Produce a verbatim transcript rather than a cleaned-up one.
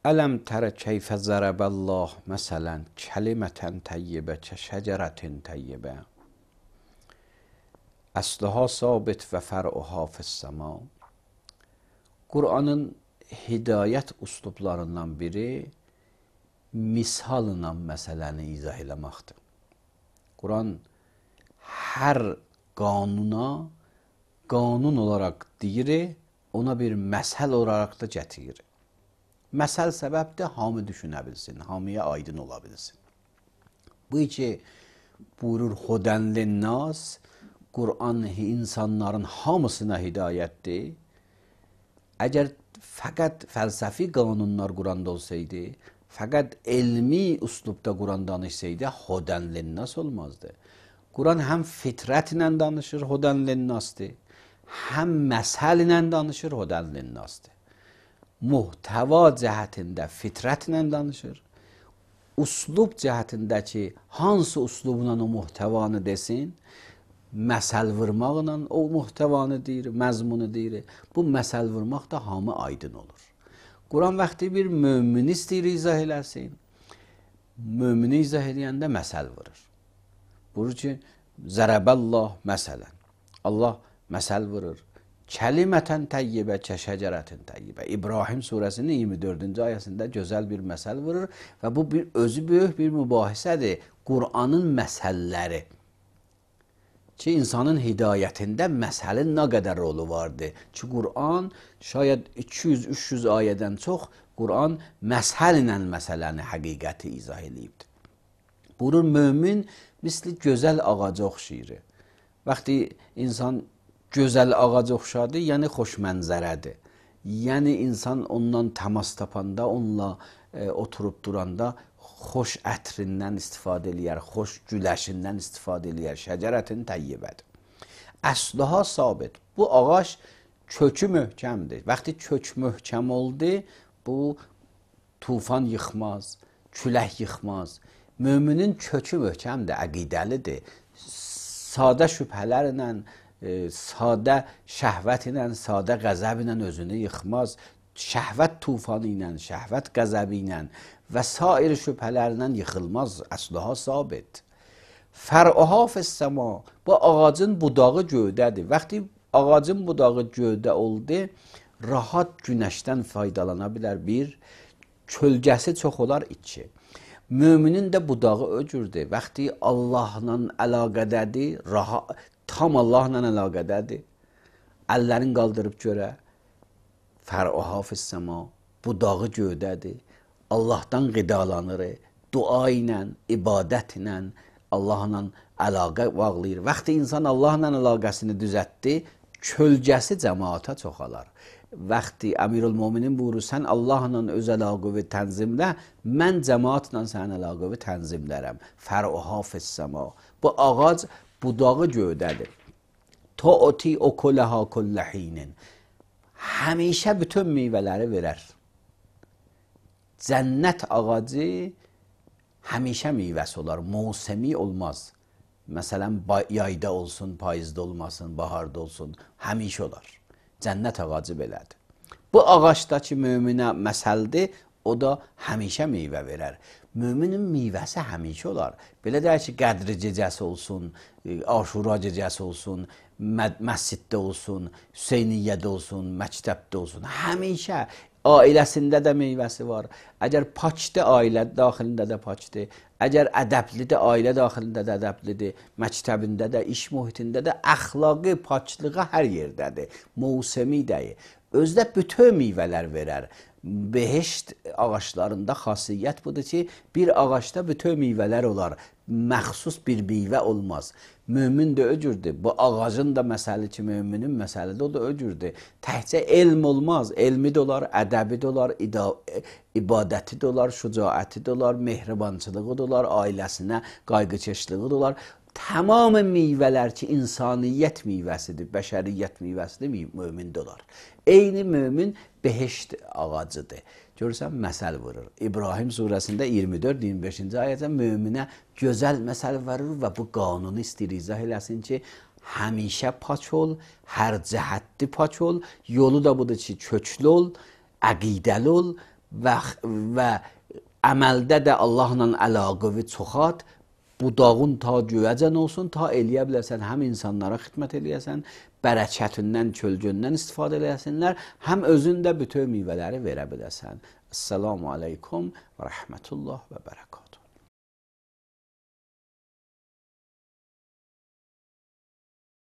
Ələm tərə keyfə zərəbəllah məsələn kəlimətən təyyibə kə şəcərətin təyyibə əsluha sabit və fər'uha fissəma. Qur'anın hidayət uslublarından biri misalla məsələni izah eləməkdir. Quran hər qanuna qanun olaraq deyir, ona bir məsəl olaraq da gətirir. Məsəl səbəbdir, hamı düşünə bilsin, hamıya aydın ola bilsin. Bu ki, buyurur Hudən linnas, Qur'an insanların hamısına hidayətdir. Əgər fəqət fəlsəfi qanunlar Qur'anda olsaydı, fəqət elmi üslubda Qur'an danışsaydı, Hudən linnas olmazdı. Qur'an həm fitrətlə danışır, Hudən linnasdır, həm məsəl ilə danışır, Hudən linnasdır. Muhtəva cəhətində fitrətlə danışır. Uslub cəhətində ki, hansı uslubla o muhtəvanı desin, məsəl vurmaqla o muhtəvanı deyir, məzmunu deyir. Bu məsəl vurmaq da hamı aydın olur. Quran vaxtı bir mömini istəyir izah eləsin. Mömini izah eləyəndə məsəl vurur. Buyurur ki, zərəbəllah məsələn. Allah məsəl vurur. Kəlimətən təyyibə kə şəcərətin təyyibə. İbrahim surəsinin iyirmi dördüncü ayəsində gözəl bir məsəl vurur və bu bir özü böyük bir mübahisədir. Qur'anın məsəlləri ki, insanın hidayətində məsəlin nə qədər rolu vardır. Ki, Qur'an şayad iki yüz üç yüz ayədən çox Qur'an məsəl ilə məsələni, həqiqəti izah edibdir. Buyurur, mömin misli gözəl ağaca oxşayır. Vaxtı insan gözəl ağaca oxşadı, yəni xoş mənzərədir. Yəni insan ondan təmas tapanda, onunla e, oturub duranda xoş ətrindən istifadə eləyər, xoş güləşindən istifadə eləyər. Şəcərətin təyyibədir. Əsluha sabit. Bu ağac kökü möhkəmdir. Vaxtı kök möhkəm oldu, bu tufan yıxmaz, külək yıxmaz. Müminin kökü möhkəmdir, əqidəlidir. Sadə şübhələrlə, E, sadə şəhvət ilə, sadə qəzəb ilə özünü yıxmaz. Şəhvət tufanı ilə, şəhvət qəzəbi ilə və sair şübhələrlə yıxılmaz. Əsluha sabit. Fər'uha fissəma. Bu ağacın budağı göydədir. Vaxtı ağacın budağı göydə oldu, rahat günəşdən faydalana bilər. Bir, kölgəsi çox olar. İki, müminin də budağı öcürdür. Vaxtı Allahla əlaqədədir, rahat, tam Allahla əlaqədədir. Əllərin qaldırıb görə. Fər'uha fissəma. Budağı göydədir. Allahdan qidalanır. Dua ilə, ibadət ilə Allahla əlaqə bağlayır. Vaxtı insan Allahla əlaqəsini düzətdi, kölgəsi cəmaata çoxalar. Vaxtı Əmirül Möminin buyurur, sən Allahla öz əlaqəvi tənzimlə, mən cəmaatla sənin əlaqəvi tənzimlərəm. Fər'uha fissəma. Bu ağac budağı göydədir. Tu'ti ukulaha kulla hinin. Həmişə bütün meyvələri verər. Cənnət ağacı həmişə meyvəsi olar, mövsemi olmaz. Məsələn, yayda olsun, payızda olmasın, baharda olsun, həmişə olar. Cənnət ağacı belədir. Bu ağacdakı möminə məsəldir, o da həmişə meyvə verər. Müminin meyvəsi həmişə olar. Belə deyək ki, qədri gecəsi olsun, aşura gecəsi olsun, məsciddə olsun, Hüseyniyyədə olsun, məktəbdə olsun. Həmişə ailəsində də meyvəsi var. Əgər pakdır, ailə daxilində də pakdır. Əgər ədəblidir, ailə daxilində də ədəblidir. Məktəbində də, iş mühitində də, əxlaqı, paklığı hər yerdədir. Mövsemi deyil. Özdə bütün meyvələr verər. Behişt ağaçlarında xasiyyət budur ki, bir ağaçda bütün meyvələr olar. Məxsus bir meyvə olmaz. Mömin də öcürdür. Bu ağacın da məsəli ki, müminin məsəli də o da öcürdür. Təhcə elm olmaz. Elmi də olar, ədəbi də olar, ibadəti də olar, şücaəti də olar, mehribançılığı da olar, ailəsinə qayğıkeşliği də olar. Tamamı meyvələr ki, insaniyyət meyvəsidir, bəşəriyyət meyvəsidir, mömin də olar. Eyni mömin behişt ağacıdır. Görürsən, məsəl vurur. İbrahim surəsində iyirmi dörd iyirmi beşinci ayədə möminə gözəl məsəl vurur və bu qanunu istəyir izah eləsin ki, həmişə pak ol, hər cəhətli pak ol, yolu da budur ki, köklü ol, əqidəli ol, və və əməldə də Allahla əlaqəvi çoxalt. Budağın ta göyəcən olsun, ta eləyə biləsən, həm insanlara xidmət eləyəsən, bərəkətindən, kölgündən istifadə eləyəsinlər, həm özün də bütün meyvələri verə biləsən. Esselamu aleykum və rəhmətullah və bərəkət.